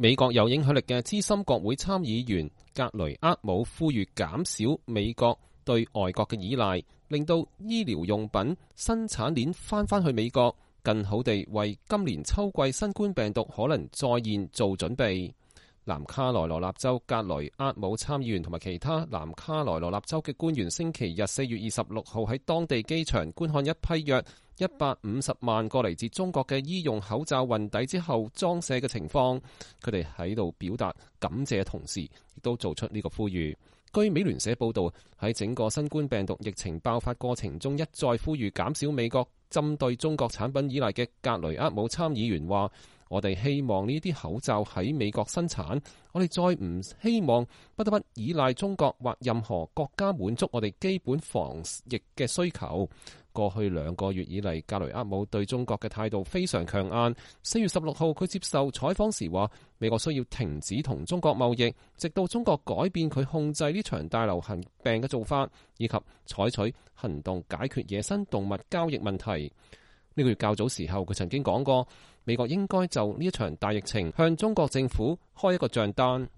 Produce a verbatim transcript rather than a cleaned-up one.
美國有影響力嘅資深國會參議員格雷厄姆呼籲減少美國對外國嘅依賴，令到醫療用品生產鏈翻返去美國，更好地為今年秋季新冠病毒可能再現做準備。南卡羅來納州格雷厄姆參議員同埋其他南卡羅來納州嘅官員星期日四月二十六號喺當地機場觀看一批約一百五十萬個嚟自中國嘅醫用口罩運抵之後裝卸嘅情況，佢哋喺度表達感謝嘅同時，亦都做出呢個呼籲。據美聯社報導，喺整個新冠病毒疫情爆發過程中，一再呼籲減少美國針對中國產品依賴嘅格雷厄姆參議員話：我哋希望呢啲口罩喺美國生產，我哋再唔希望不得不依賴中國或任何國家滿足我哋基本防疫嘅需求。過去兩個月以嚟，格雷厄姆對中國嘅態度非常強硬。四月十六號，佢接受採訪時話：美國需要停止同中國貿易，直到中國改變佢控制呢場大流行病嘅做法，以及採取行動解決野生動物交易問題。呢個月較早時候，佢曾經講過，美國應該就呢一場大疫情向中國政府開一個賬單。